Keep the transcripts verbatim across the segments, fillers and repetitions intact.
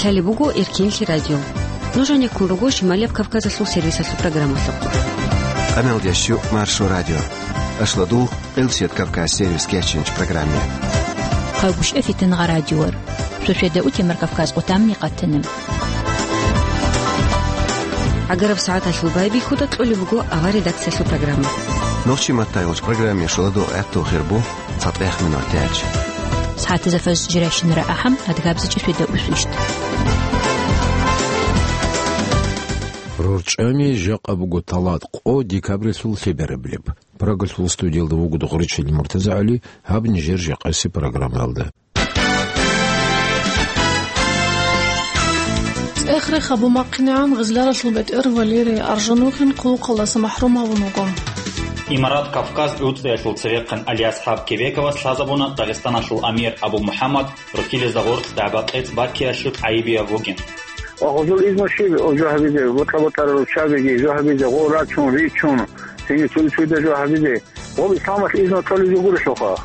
Гьале буго Эркенлъи радио. Нуж гьанеккун руго Шималияб Кавказалъул сервисалъул программалъухъ. Къамел дящу Маршо радио. Ашладул Къилсият Кавказ сервис кечинч программе. Хъавгуш эфитан гъа радиор. Шошеда утемар Кавказ къутамни къатана. Агараб сагӀаталъул байбихьуда кьолеб буго авар редакциялъул программа. Нохчи маттайгъуч программе шуладу гӀатту хирбу. ЦатӀех минутач. СагӀатазда фаз жирайщинара ахӀам, адгабзичӀи шведа усвищт. РорчӀами жакъа буго талат къо декабрилъул лъеберабилеб. Прагалъул студиялда вуго Дугъричил МуртазагӀали, гьаб нижер жакъаси программаялда. ЦӀех-рех гьабун бахъинегӀан Гъизляралъул бетӀер Валерий Аржанухин хъулухъалдаса махӀрум гьавун вуго. Имарат Кавказ гӀуцӀиялъул цевехъан Алияс ХӀаб Кебековас лъазабуна Дагъистаналъул амир Абу МухӀаммад Рохилезда гъоркь дагӀба-кьецӀ баккиялъул гӀайибияб бугин. Ва гъозул изну щиб жо гьабизе, бутӀа-бутӀара руччабиги жо гьабизе, гъо рачун, ричун, цинги цури-цурида жо гьабизе, гъоб исламалъ изну кьолеб жо гурелъулха.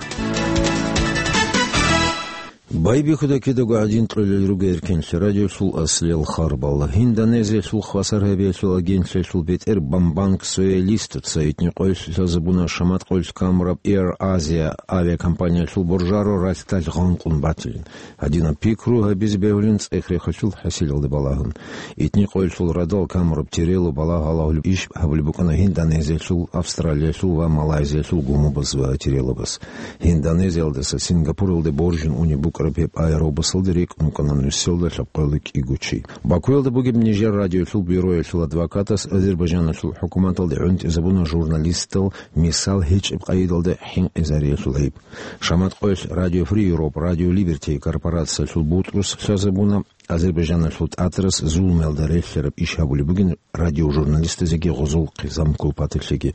Байбихьуда кидаго гӀадин кьолел руго Эркенлъи радиолъул аслиял харбал. Индонезиялъул хвасар гьабиялъул агентлъиялъул бетӀер Бамбанг Соялистаца итни къоялъ лъазабуна шамат къоялъ камураб Air Asia авиакомпаниялъул боржаро ралъдалъ гъанкъун батилин. Гьадинаб пикру гьабизе бегьулин цӀех-рехалъул хӀасилалде балагьун. Итни къоялъул радал камураб тирело балагь гьалагьулеб иш гьабулеб букӀана Индонезиялъул, Австралиялъул ва Малайзиялъул гумубаз ва тирелобаз. Индонезиялдаса Сингапуралде боржун унеб букӀараб гьеб аэробусалда рекӀун вукӀана нусиялда лъабкъоялда кӀиго чи. Бакуялда бугеб нижер радиоялъул бюроялъул адвокатас Азербайжаналъул хӀукуматалде гӀунтӀизабуна журналистал мисал гьечӀеб къайдалда хӀинкъизариялъул гӀайиб. Шамат къоялъ Радио Фри Европа, Радио Либерти корпорациялъул бутӀрус лъазабуна Азербайжаналъул тӀатарас зулмуялда релълъараб иш гьабулеб бугин радиожурналистазеги гъозул хъизан-кулпаталъеги.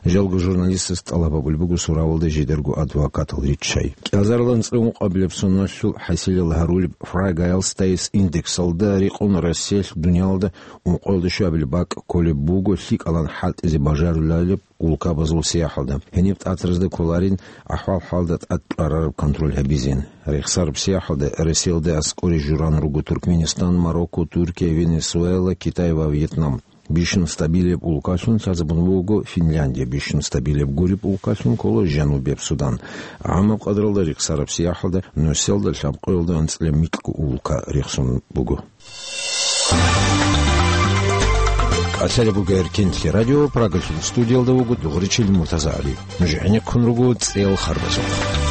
Жалго журналистас тӀалаб гьабулеб буго суравалда жидерго адвокатал риччай. КӀиазарилан цӀе ункъабилеб соналъул хӀасилал гьарулеб Фрагайлстайс индексалда рекъон Россиялъ дуниялда ункъоялда щуабилеб бакӀ кколеб буго лъикӀалан хӀалтӀизе бажарулареб улкабазул сияхӀалда. Гьениб тӀатаразда кколарин ахӀвал-хӀалда тӀад кьварараб контроль гьабизин. Рехсараб сияхӀалда Россиялда аскӀоре журан руго Туркменистан, Марокко, Туркия, Венесуэла, Китай ва Вьетнам. Бищун стабилияб улкалъун лъазабун буго Финляндия, бищун стабилияб гуреб улкалъун ккола Жанубияб Судан. ГӀамаб къадралда рехсараб сияхӀалда нусиялда лъабкъоялда анцӀила микьго улка рехсон буго. Асари буго Эркенлъи радио, Прагалъул студиялда вуго Дугъричил МуртазагӀали. Нуж гӀенеккун руго цӀел харбазухъ.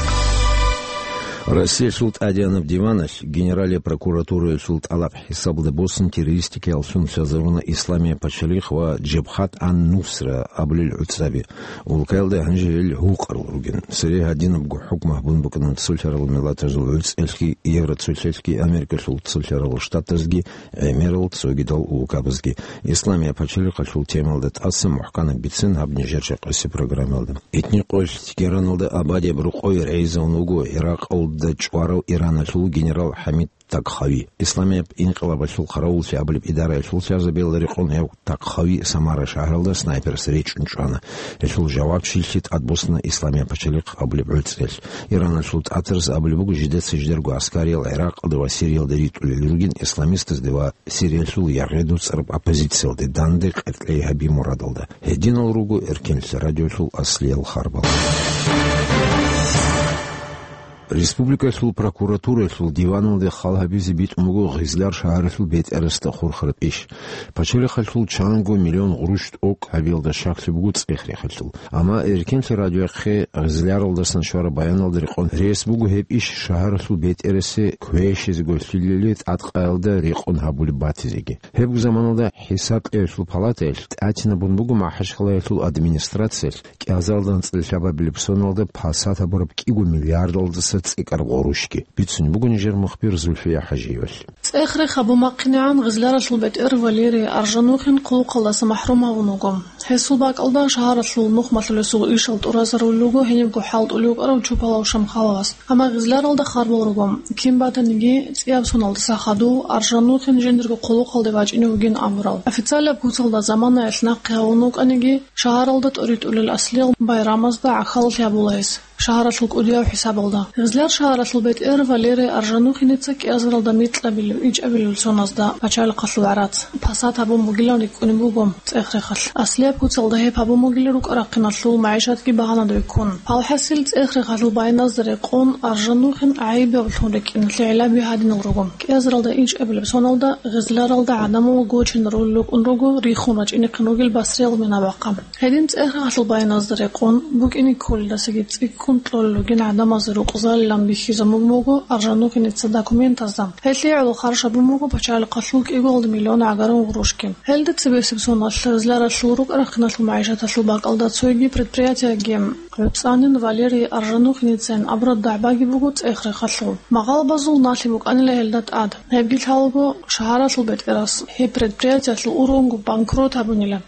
Россиялъул тӀадеянаб диваналъ Генералия прокуратураялъул тӀалаб хӀисабалда босун террористикаялъун лъазабуна Исламия пачалихъ ва Жабхат ан-Нусра абулел гӀуцӀаби. Улкаялда гьанже гьел гьукъарал ругин. Цере гьадинабго хӀукму гьабун букӀана цолъарал миллатазул гӀуцӀиялъги, Евроцолъалъги, Америкалъул цолъарал штатазги, гӀемерал цогидал улкабазги. Исламия пачалихъалъул темалда тӀаса мухӀканаб бицин гьаб нижер жакъаси программалда. Итни къоялъ Тегераналда абадияб рокъове рейзавун вуго Иракъалда чӀварав Ираналъул генерал ХӀамид Такхави. Исламияб инкъилабалъул хъаравуллъи абулеб идараялъул лъазабиялда рекъон гьев Такхави Самара шагьаралда снайперас речӀун чӀвана. Гьелъул жавабчилъи тӀадбуссана Исламия пачалихъ абулеб гӀуцӀиялъ. Ираналъул тӀатарас абулеб буго, жидеца жидерго аскариял ГӀиракъалда ва Сириялда ритӀулел ругин исламистазде ва Сириялъул яргъи доцӀараб оппозициялде данде къеркьей гьаби мурадалда. Гьединал руго Эркенлъи радиолъул аслиял харбал. Республикалъул прокуратураялъул диваналде хал гьабизе битӀун буго Гъизлар шагьаралъул бетӀерасда хурхараб иш. Пачалихъалъул чанго миллион гъурущ тӀокӀ гьабиялда щаклъи буго цӀех-рехалъул. Амма Эркенлъи радиояхъе Гъизляралдасан щвараб баяналда рекъон рес буго гьеб иш шагьаралъул бетӀерасе квешизего лъилали тӀадкъаялда рекъон гьабулеб батизеги. Гьебго заманалда ХӀисаб кьеялъул палатаялъ тӀатинабун буго Махачкалаялъул администрациялъ кӀиазарилан цӀилъабабилеб соналда пасат гьабураб кӀиго миллиардалдаса цӀикӀкӀараб гъурущги. Бицунеб буго нижер мухбир Зульфия ХӀажиевалъ. ЦӀех-рех гьабун бахъинегӀан Гъизляралъул бетӀер Валерий Аржанухин хъулухъалдаса махӀрум гьавун вуго. Гьесул бакӀалда шагьаралъул нухмалъулесул ишал тӀуразарулел руго гьенибго хӀалтӀулев вукӀарав Чупалав Шамхаловас. Амма Гъизляралда харбал руго, кин батаниги, цӀияб соналдаса хадув Аржанухин жиндирго хъулухъалде вачӀине вугин абурал. Официалаб куцалда заманаялъ нахъе гьавун вукӀаниги, шагьаралда тӀоритӀулел аслиял байрамазда гӀахьаллъи гьабула гьес, шагьаралъул кӀудияв хӀисабалда. Гъизляр шагьаралъул бетӀер Валерий Аржанухиница кӀиазаралда микьабилев ИчӀабилеб соназда пачалихъалъул гӀарац пасат гьабун бугилан рикӀкӀунеб буго ЦӀех-Рехалъ. Аслияб куцалда гьеб гьабун бугила рукӀа-рахъиналъул магӀишатги багьанада беккун. Гьалхасил ЦӀех-Рехалъул баяназда рекъон Аржанухин гӀайиб гьабулъун рикӀкӀиналъе гӀиллаби гьадинал руго. КӀиазаралда ичӀабилеб соналда гъезларалда гӀадамал гочине ролел рукӀун руго рихун рачӀинехъин ругел басриялъул мина-бахъа. Гьедин ЦӀех-Рехалъул баяназда рекъон букӀине кколелдасаги цӀикӀкӀун кьолел ругин гӀадамазе рукъзалилан бихьизабун буго Аржанухиница документазда. Гьелъие гӀоло харж гьабун буго пачалихъалъул кӀиго миллион гӀагарун гъурущги. Гьелда цебесеб соналъ гъезларалъул рукӀа-рахъиналъул магӀишаталъул бакӀалда цоги предприятиеги гӀуцӀанин Валерий Аржанухиницин абураб дагӀбаги буго ЦӀех-Рехалъул. Магъалабазул налъи букӀанила гьелда тӀад. Гьебги лъалаго шагьаралъул бетӀерас гьеб предприятиялъул ургъунго банкрот гьабунила.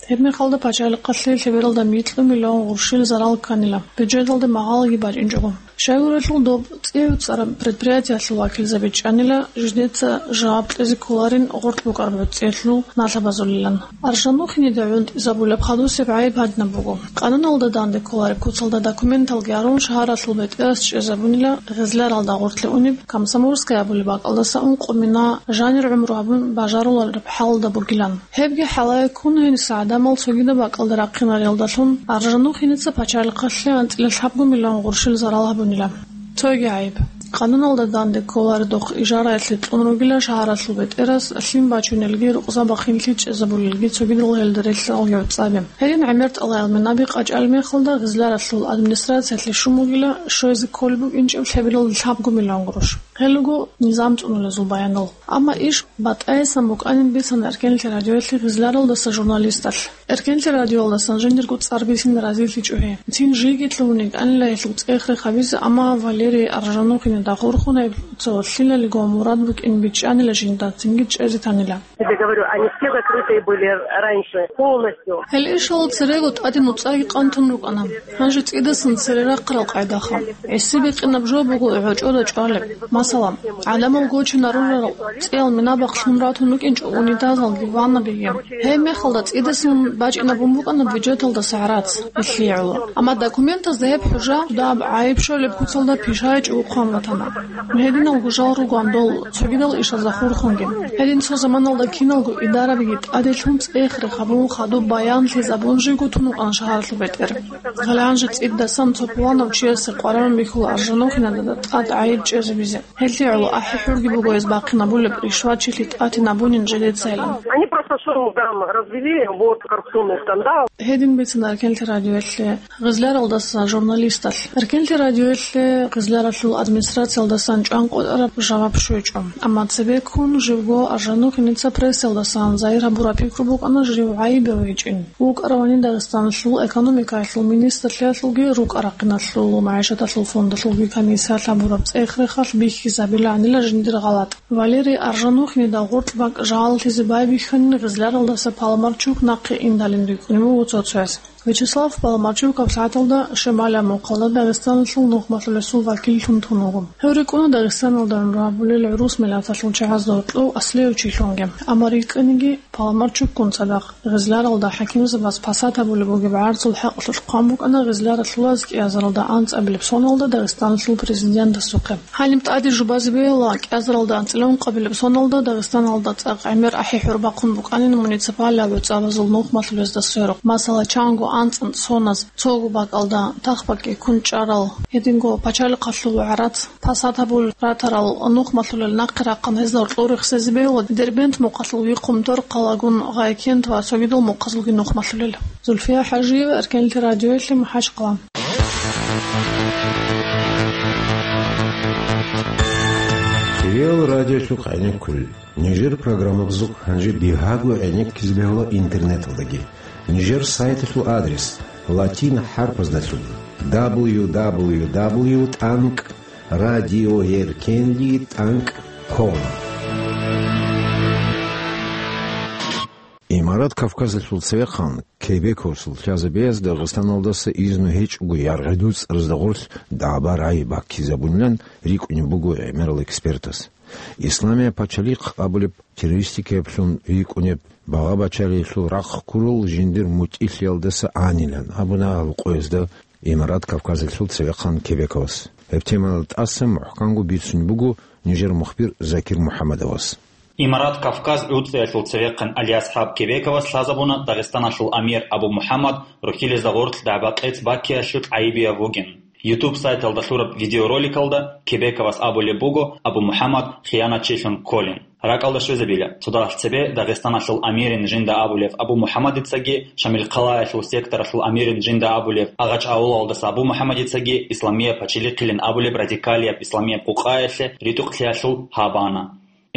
Гьеб мехалда пачалихъалъе лъебералда микьу миллион гъурущил зарал кканила, бюджеталде магъалаги бачӀинчӀого. Щайгурелъул доб цӀи гӀуцӀараб предприятиялъул вакилзаби чӀанила, жидеца жаваб кьезе кколарин гъоркь букӀараб гӀуцӀиялъул налъабазулилан. Аржанухинида гӀунтӀизабулеб хадусеб гӀайиб гьадинаб буго. Къануналда данде кколареб куцалда документалги гьарун шагьаралъул бетӀерас чӀезабунила гъезларалда гъоркье унеб Комсомольская абулеб бакӀалдаса ункъо мина жанир гӀумру гьабун бажарулареб хӀалда бугилан. Гьебги хӀалае ккун, гьениса гӀадамал цогидаб бакӀалда рахъинариялдалъун Аржанухиница пачалихъалъе анцӀила лъабго миллион гъурущил зарал гьабунила. Цоги гӀайиб. Къануналда данде кколаредухъ ижараялъе кьун ругила шагьаралъул бетӀерас лъим бачунелги рукъза-бахинлъи чӀезабулелги цогидал гьелда релълъарал гӀуцӀаби. Гьедин гӀемер тӀалаял минаби къачӀал мехалда гъезларалъул администрациялъе щун бугила щвезе кколеб букӀинчӀеб лъебералда лъабго миллион гъурущ. Гьел руго низам цӀунулезул баянал. Амма иш батӀаясан букӀанин бицана Эркенлъи радиоялъе гъезларалдаса журналисталъ. Эркенлъи радиоялдасан жиндирго цӀар бицин разилъичӀо гьей. Цин жийги лъугьун йикӀанила гьелъул цӀех-рех гьабизе, амма Валерий Аржанухинида хурхун гьеб цо лъилалиго мурад букӀин бичӀчӀанила жинда, цинги чӀезе танила. Тебе говорю, они все закрытые были раньше, полностью. Гьел ишал церего тӀаде нуцӀаги къантун рукӀана. Гьанже цӀидасан цере рахъарал къайдаха. ГӀиси бикъинаб жо буго гӀочӀода чӀвалеб. Масала, гӀадамал гочинарурал цӀиял минабахъ лъун ратун рукӀинчӀо унитазалги ваннабиги. Гьеб мехалда цӀидасан бачӀинабун букӀана бюджеталдаса гӀарац, гьелъие гӀоло. Амма документазда гьеб хӀужа даб гӀайиб щолеб куцалда пишайчӀого хъван батана. Гьединалго жал ругоан дол цогидал ишазда хурхунги. Гьедин цо заманалда киналго идарабиги тӀаделъун цӀех-рех гьабун, хадуб баянлъизабун живго тун вукӀана шагьаралъул бетӀер. Гьале гьанже цӀидасан цо пуланав чиясе къваригӀун бихьула Аржанухинада тӀад гӀайиб чӀезабизе. Гьелъие гӀоло ахӀи-хӀурги буго гьез бахъинабулеб, ришватчилъи тӀатинабунин жидецайилан. Они просто шум там развели, вот, коррупционный скандал. Гьедин бицана Эркенлъи радиоялъе гъезларалдаса журналисталъ. Эркенлъи радиоялъе гъезларалъул администрациялдасан чӀван къотӀараб жаваб щвечӀо. Амма цебеккун живго Аржанухиница прессаялдасан загьир гьабураб пикру букӀана жив гӀайибав гьечӀин. ВукӀаравани Дагъистаналъул экономикаялъул министрлъиялъулги рукӀа-рахъиналъул магӀишаталъул фондалъулги комиссиялъ гьабураб цӀех-рехалъ бихьизабиланила жиндир гъалатӀ. Валерий Аржанухинида гъоркь бакӀ жалалъизе байбихьанин гъезларалдаса Паламарчук нахъе индалин рикӀкӀунеб буго цо-цояс. Вячеслав Паламарчук гьаб сагӀаталда Шамалияб мухъалда Дагъистаналъул нухмалъулесул вакиллъун тун вуго. Гьев рикӀкӀуна Дагъистаналда гӀумру гьабулел гӀурус миллаталъул чагӀазда гьоркьов аслияв чилъунги. Амма рикӀкӀаниги Паламарчукгун цадахъ гъезларалда хӀакимзабаз пасат гьабулеб бугеб гӀарцул хӀакъалъулъ хъван букӀана гъезларалъулаз кӀиазаралда анцӀабилеб соналда Дагъистаналъул президентасухъе. Гьаниб тӀаде жубазе бегьула, кӀиазаралда анцӀила ункъабилеб соналда Дагъистаналда цӀакъ гӀемер ахӀи-хӀур бахъун букӀанин муниципалияб гӀуцӀабазул нухмалъулезда сверухъ. Масала, чанго анцӀ-анцӀ соназ цого бакӀалда тахбакӀги ккун чӀарал, гьединго пачалихъалъул гӀарац пасат гьабулел ратарал нухмалъулел нахъе рахъун гьезда гьоркьор рехсезе бегьула Дербент мухъалъулги Хъумторхъалагун Гъайкент ва цогидал мухъазулги нухмалъулел. Зульфия ХӀажиева, Эркенлъи радиоялъе, МахӀачхъала. Кирил радиолъухъ гӀенеккулел. Нижер программабазухъ гьанже бигьаго гӀенеккизе бегьула интернеталдаги. Нижер сайталъул адрес латин хӀарпаздалъун: дабл ю дабл ю дабл ю тӀанкӀ радиоэркенлъи тӀанкӀ ком. Имарат Кавказалъул цевехъан Кебековсул лъазабиялъ Дагъистаналдаса изну гьечӀого яргъи-дуцӀразда гъорлъ дагӀба-рагӀи баккизабунилан рикӀкӀунеб буго гӀемерал экспертас. Исламияб пачалихъ абулеб террористикаялъун рикӀкӀунеб, багъа-бачагӀиялъул рахъ ккурал жиндир мутӀигӀлъиялдаса гӀанилан абуна гьаб къоязда Имарат Кавказалъул цевехъан Кебековас. Гьеб темаялда тӀаса мухӀканго бицунеб буго нижер мухбир Закир МухӀаммадовас. Имарат Кавказ гӀуцӀиялъул цевехъан Алиасхаб Кебековас лъазабуна Дагъистаналъул амир Абу МухӀаммад рухьилезда гъорлъ дагӀба-къец баккиялъе гӀайибияб вугин. YouTube сайталда лъураб видеороликалда Кебековас абулеб буго Абу МухӀаммад хиянатчилъун кколин. РакӀалда щвезабила, цо дагьалъ цебе Дагъистаналъул амирин жинда абулев Абу МухӀаммадицаги, Шамилхъалаялъул секторалъул амирин жинда абулев Агъач-авулалдаса Абу МухӀаммадицаги исламияб пачелихъилин абулеб радикалияб исламияб къукъаялъе ритӀухълъиялъул гьабана.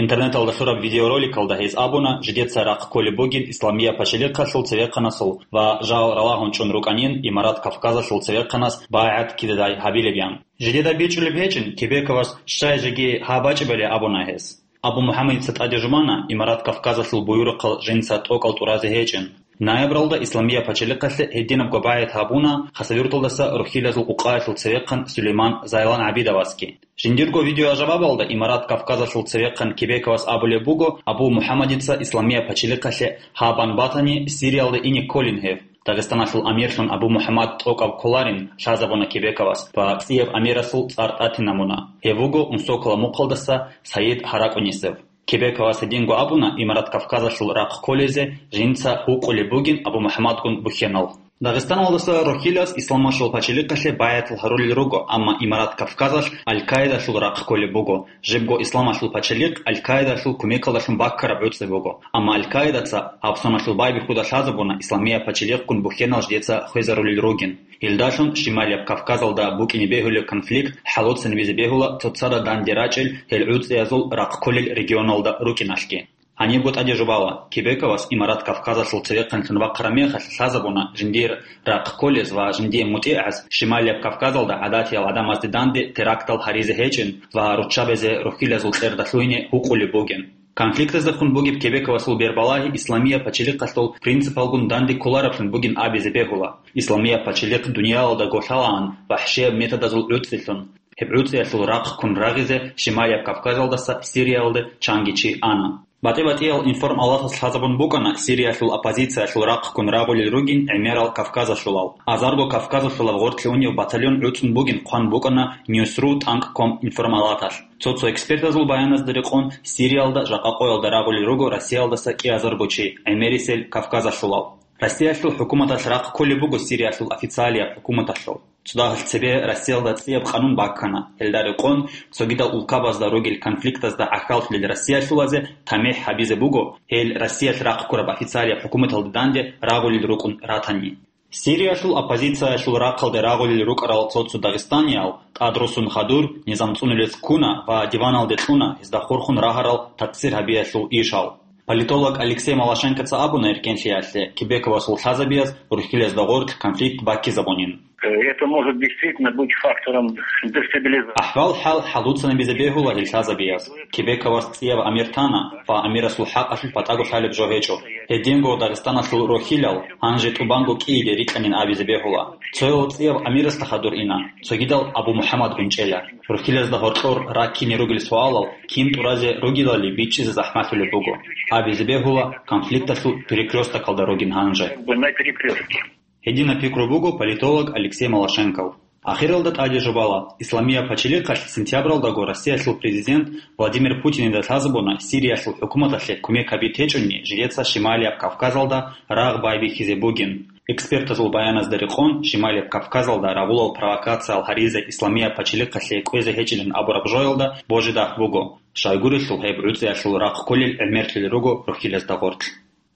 Интернеталда лъураб видеороликалда гьез абуна, жидеца рахъ кколеб бугин исламияб пачелихъалъул цевехъанасул ва жал ралагьун чӀун рукӀанин Имарат Кавказалъул цевехъанас байгӀат кидадай гьабилеб ян. Жидеда бичӀчӀулеб гьечӀин, Кебековас щай жеги гьаб бачӀебали абуна гьес. Абу МухӀаммадица тӀаде жубана Имарат Кавказалъул буюрухъал жинца тӀокӀал тӀуразе гьечӀин. Ноябралда исламияб пачелихъалъе гьединабго байгӀат гьабуна Хасавюрталдаса рухьилазул къукъаялъул цевехъан Сулейман Зайлан ГӀабидовасги. Жиндирго видеожавабалда Имарат Кавказалъул цевехъан Кебековас абулеб буго, Абу МухӀаммадица исламияб пачелихъалъе гьабун батани, Сириялде ине кколин гьев. Дагъистаналъул амирлъун Абу МухӀаммад тӀокӀаб кколарин лъазабуна Кебековас ва цӀияб амирасул цӀар тӀатинабуна. Гьев вуго Унсокола мухъалдаса Саид ГьаракӀунисев. Кебековас гьединго абуна Имарат Кавказалъул рахъ кколезе жинца гьукъулеб бугин Абу МухӀаммадгун бухьенал. Дагъистаналдаса рухьилаз исламалъул пачелихъалъе байгӀатал гьарулел руго, амма Имарат Кавказалъ Аль-Каидалъул рахъ кколеб буго, жибго исламалъул пачелихъ Аль-Каидалъул кумекалдалъун баккараб гӀуцӀи буго. Амма Аль-Каидаца гьаб соналъул байбихьуда лъазабуна исламияб пачелихъгун бухьенал жидеца хвезарулел ругин. Гьелдалъун Шималияб Кавказалда букӀине бегьулеб конфликт хӀалоцинабизе бегьула цоцазда данде рачӀел гьел гӀуцӀиязул рахъ кколел регионалда рукӀиналъги. Гьанибго тӀаде жубала, Кебековас Имарат Кавказалъул цевехъанлъун вахъараб мехалъ лъазабуна жиндир рахъ кколез ва жиндие мутӀигӀаз Шималияб Кавказалда гӀадатиял гӀадамазде данде терактал гьаризе гьечӀин ва руччабазе рухьилазул кьерда лъугьине гьукъулеб бугин. Конфликтаздехун бугеб Кебековасул бербалагьи исламияб пачелихъалъул принципалгун данде кколараблъун бугин абизе бегьула. Исламияб пачелихъ дуниялалда гвалъалаан вахӀшияб методазул гӀуцӀилъун. Гьеб гӀуцӀиялъул рахъ ккун рагъизе Шималияб Кавказалдаса Сириялде чанги чи ана. БатӀи-батӀиял информалатас лъазабун букӀана Сириялъул оппозициялъул рахъ ккун рагъулел ругин гӀемерал кавказалъулал. Азарго кавказалъулаб гъорлъе унев батальон гӀуцӀун бугин хъван букӀана Ньюсру тӀанкӀ ком информалаталъ. Цо-цо экспертазул баяназда рекъон, Сириялда жакъа къоялда рагъулел руго Россиялдаса кӀиазарго чи, гӀемерисел кавказалъулал. Россиялъул хӀукуматалъ рахъ кколеб буго Сириялъул официалияб хӀукуматалъул. Цо дагьалъ цебе Россиялда цӀияб къанун баккана. Гьелда рекъон, цогидал улкабазда ругел конфликтазда гӀахьаллъулел Россиялъулазе тамихӀ гьабизе буго, гьел Россиялъ рахъ ккураб официалияб хӀукуматалде данде рагъулел рукӀун ратани. Сириялъул оппозициялъул рахъалде рагъулел рукӀарал цо-цо дагъистаниял, тӀадрусун хадур, низам цӀунулез ккуна ва диваналде кьуна гьезда хурхун рагьарал такъсир гьабиялъул ишал. Политолог Алексей Малашенкоца абуна эркенлъиялъе, Кебековасул лъазабияз рухьилазда гъорлъ конфликт баккизабунин. Это может действительно быть фактором дестабилизации. АхӀвал-хӀал хӀалуцанабизе бегьула гьел лъазабияз. Кебековас цӀияб амир тана ва амирасул хӀакъалъулъ батӀаго лъалеб жо гьечӀо. Гьединго Дагъистаналъул рухьилал гьанже тӀубанго кӀииде рикьанин абизе бегьула. Цоял цӀияб амирасда хадур ина, цогидал Абу МухӀаммадгун чӀела. Рухьилазда гьоркьор раккине ругел суалал кин тӀуразе ругелали бичӀчӀизе захӀмалъулеб буго. Абизе бегьула, конфликталъул перекрёстокалда ругин гьанже. Как бы на перекрёстке. Гьединаб пикру буго политолог Алексей Малашенков. Ахиралда тӀаде жубала, исламияб пачелихъалъ сентябралдаго Россиялъул президент Владимир Путинида лъазабуна Сириялъул хӀукуматалъе кумек гьабизе гьечӀони жидеца Шималияб Кавказалда рагъ байбихьизе бугин. Экспертазул баяназда рекъон, Шималияб Кавказалда рагъулал провокациял гьаризе исламияб пачелихъалъе кӀвезе гьечӀилан абураб жоялда божи-дагь буго, щайгурелъул гьеб гӀуцӀиялъул рахъ кколел гӀемерлъулел руго рухьилазда гъорлъ.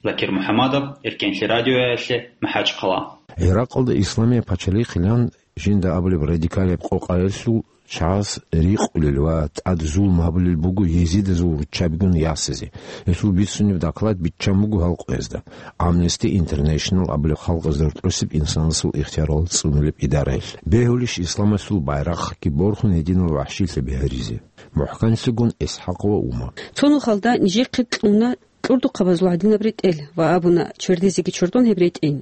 Закир МухӀаммадов, Эркенлъи радиоялъе, МахӀачхъала. Гьеракълда исламияб пачалихъилан жинда абулеб радикалияб къокъаялъул чагӀаз рикъулел ва тӀад зулм гьабулел буго езидазул руччабигун ясизе. Гьелъул бицунеб доклад биччан буго гьалкъуязда, Amnesty International абулеб халкъазда рокьосеб инсанасул ихтиярал цӀунулеб идараялъ. Бегьулищ исламасул байрахъги борхун гьединал вахӀшилъаби гьаризе? МухӀканлъигун ИсхӀакъ ва Умар. Цо нухалда нижехъе кьуна кьурдухъабазул гӀадинаб ретӀел ва абуна чвердезеги чордон гьеб ретӀин.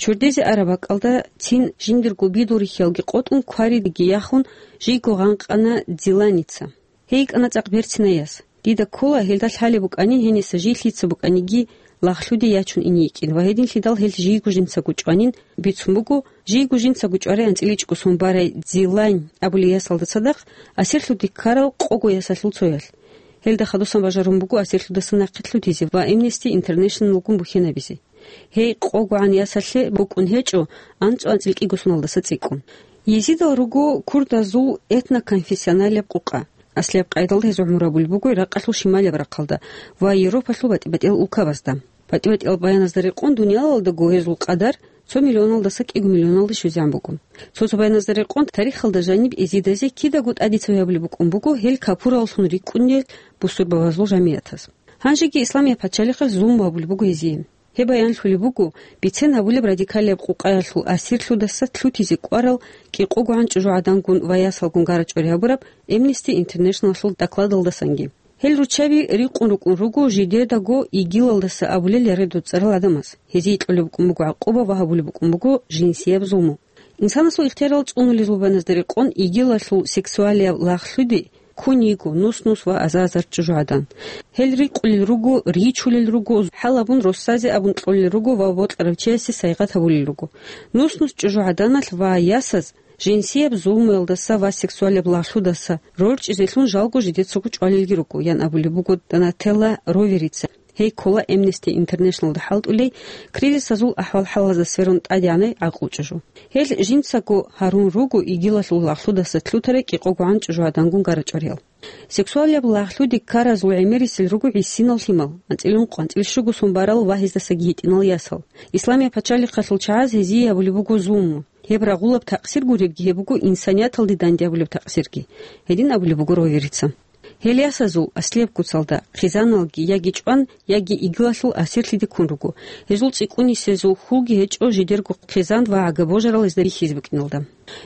Чвердезе араб бакӀалда цин жиндирго бидул рихьалги къотӀун, кваридаги яхун, жийго гъанкъана Диланица. Гьей йикӀана цӀакъ берцинай яс. Дида ккола, гьелда лъалеб букӀанин гьениса жий лъица букӀаниги лагълъуде ячун ине йикӀин ва гьединлъидал гьел жийго жинцаго чӀванин бицун буго, жийго жинцаго чӀварай анцӀила ичӀго сон барай Дзилайн абулей ясалда цадахъ асирлъуде ккарал къого ясалъул цоялъ. Гьелда хадусан бажарун буго асирлъудаса нахъе лъутизе ва Amnesty International-гун бухьенабизе. Гьей къогогӀан ясалъе букӀун гьечӀо анцӀу анцӀила кӀиго соналдаса цӀикӀкӀун. Езидал руго курдазул этноконфессионалияб къукъа. Аслияб къайдалда гьезул гӀумру гьабулеб буго Иракъалъул шималияб рахъалда ва Европалъул батӀи-батӀиял улкабазда. БатӀи-батӀиял баяназда рекъон, дуниялалдаго гьезул къадар цо миллионалдаса кӀиго миллионалде щвезегӀан буго. Цо-цо баяназда рекъон, тарихалда жаниб езидазе кидаго тӀаде цеве гьабулеб букӀун буго гьел капураллъун рикӀкӀунел бусурбабазул жамигӀатаз. Гьанжеги Исламияб пачалихъалъ зулму гьабулеб буго гьезие. Гьеб баянлъулеб буго бицен гьабулеб радикалияб къукъаялъул асирлъудаса лъутизе кӀварал кӀикъогогӀан чӀужугӀадангун ва ясалгун гара-чӀвари гьабураб Amnesty International-алъул докладалдасанги. Гьел руччаби рикъун рукӀун руго жидедаго ИГИЛалдаса абулел яргъи доцӀцӀарал гӀадамаз. Гьезие кьолеб букӀун буго гӀакъуба ва гьабулеб букӀун буго жинсияб зулму. Инсанасул ихтиярал цӀунулел зубаназда рекъон ИГИЛалъул сексуалияб лагълъуди ккун йиго нус-нус ва азар-азар чӀужугӀадан. Гьел рикъулел руго, ричулел руго, хӀалабун росазе абун кьолел руго ва бокьарав чиясе сайгъат гьабулел руго. Нус-нус чӀужугӀаданалъ ва ясаз жинсияб зулмуялдаса ва сексуалияб лагълъудаса рорчӀизелъун жалго жидецаго чӀвалелги руго, ян абулеб буго Донателла Роверица. Гьей ккола Amnesty International-да хӀалтӀулей кризисазул ахӀвал-хӀалазда сверун тӀадегӀанай гӀакълу чӀужу. Гьел жинцаго гьарун руго ИГИЛалъул лагълъудаса лъутарай кӀикъогогӀан чӀужугӀадангун гара-чӀвариял. Сексуалияб лагълъуде ккаразул гӀемерисел руго гӀисинал лъимал, анцӀила ункъо, анцӀила щуго сон барал ва гьездасаги гьитӀинал ясал. Исламияб пачалихъалъул чагӀаз гьезие гьабулеб буго зулму. Гьеб рагъулаб такъсир гуребги, гьеб буго инсанияталде данде гьабулеб такъсирги. Гьедин абулеб буго Роверица. Гьел ясазул аслияб куцалда хъизаналги яги чӀван, яги ИГИЛалъул асирлъиде ккун руго. Гьезул цӀикӀкӀунисезул хьулги гьечӀо жидерго хъизан ва гӀага-божарал гьезда бихьизе букӀиналда.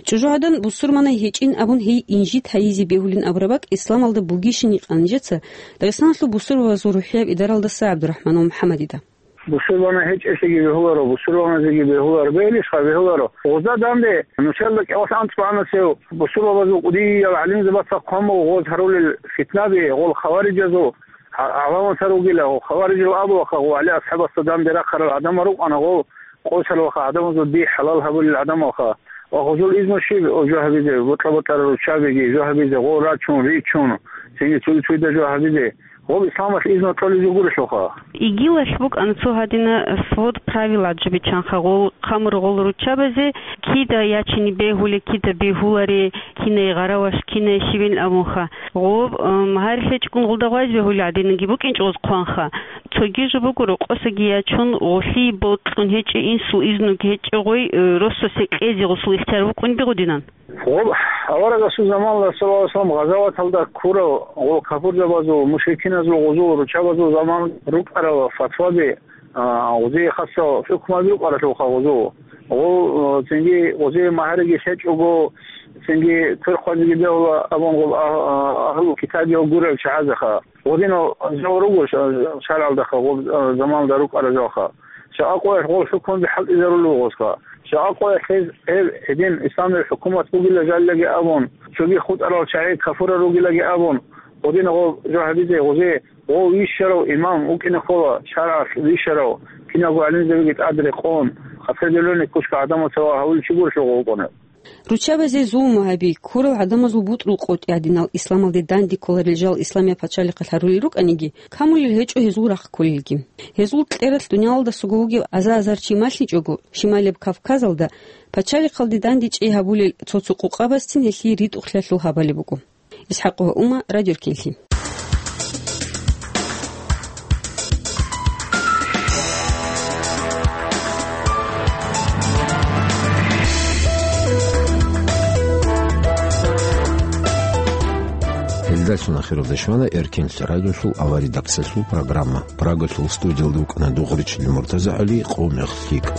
ЧӀужугӀадан бусурманай гьечӀин абун гьей инжит гьайизе бегьулин абураб бакӀ исламалда бугищин гьикъа нижеца Дагъистаналъул бусурбабазул рухӀияб идаралдаса ГӀабдурахӀманов МухӀаммадида. Бусурбана гьечӀелъиги бегьуларо, бусурбаназеги бегьуларо, бегьулищха бегьуларо. Гъозда данде нушалда кӀалъан цӀванасев бусурбабазул кӀудиял гӀалимзабаца хъван буго гъоз гьарулел фитнаби, гъол хаварижазул гӀа-, гӀаламатар ругила, гъол хаварижал абулаха, гъол ГӀали асхӀабасда данде рахъарал гӀадамал рукӀана, гъол къосаралха гӀадамазул дихӀ хӀалал гьабулел гӀадамалха. Ва гъозул изну щиб жо гьабизе, бутӀа-бутӀара руччабиги жо гьабизе, гъол рачун, ричун, цинги цуги-цугида жо гьабизе? Гъоб исламалъ изну кьолеб жо гурелъулха. ИГИЛалъ букӀана цо гьадина свод правил гӀаджу биччанха гъол хъамургъол руччабазе, кида ячине бегьуле, кида бегьуларе, кинай гъараваш, кинай щибин абунха. Гъоб, м, гьарилъ гьечӀгун гъолда гъвайз бегьулел гӀадинаги букӀинчӀо гъоз хъванха. Цоги жо буго, рокъосаги ячун, гъолъие бокьун гьечӀеб, инсул изнуги гьечӀеб гъой, э, росасе кьезе гъосул ихтияр букӀунеб гъодинан. Гъоб аварагасул заманалда, саллаллагьу гӀалайгьи ва саллам, гъазаваталда ккурал гъол капурзабазул, мушрикиназул гъозул руччабазул заман рукӀарал фатваби, а, гъозие хасал хӀукмаби рукӀаралъулха гъозул. Гъол, а, цинги гъозие магьариги лъечӀого, цинги квер хъвазеги бегьула абун гъол а-, а-, агьлу китабиял гурел чагӀазеха. Гъодинал жал руго ша-, шаргӀалдаха гъоб, а, заманалда рукӀарал жалха. Жакъа къоялъ гъол хӀукмуби хӀалтӀизарулел гъозха. Жакъа къоялъ гьез, гьеб гьедин исламияб хӀукумат бугила жаллаги абун, цоги хутӀарал чагӀи кафурал ругилаги абун, гъодинал гъоб жо гьабизе гъозие, гъов вищарав имам вукӀине ккола, шаргӀалъ вищарав, киналго гӀалимзабиги тӀад рекъон, определённый кучка гӀадамаца ва гьавулев чи гурелъул гъов вукӀунев. Руччабазе зулму гьаби, ккурал гӀадамазул бутӀрул къотӀи гьадинал исламалде данде кколарел жал исламияб пачалихъалъ гьарулел рукӀаниги, камулел гьечӀо гьезул рахъ кколелги. Гьезул кьералъ дуниялалдасаго вугев аза-азар чи малъичӀого, Шималияб Кавказалда пачалихъалде дандечӀей гьабулел цо-цо къукъабазцин гьелъие ритӀухълъиялъул гьабалеб буго. ИсхӀакъова Ума, Радио Эркенлъи. Гьелдалъун ахиралда щвана Эркенлъи радиолъул аваридаксалъул программа. Прагалъул студиялда вукӀана Дугъричилин МуртазагӀали, къо мех лъикӀ.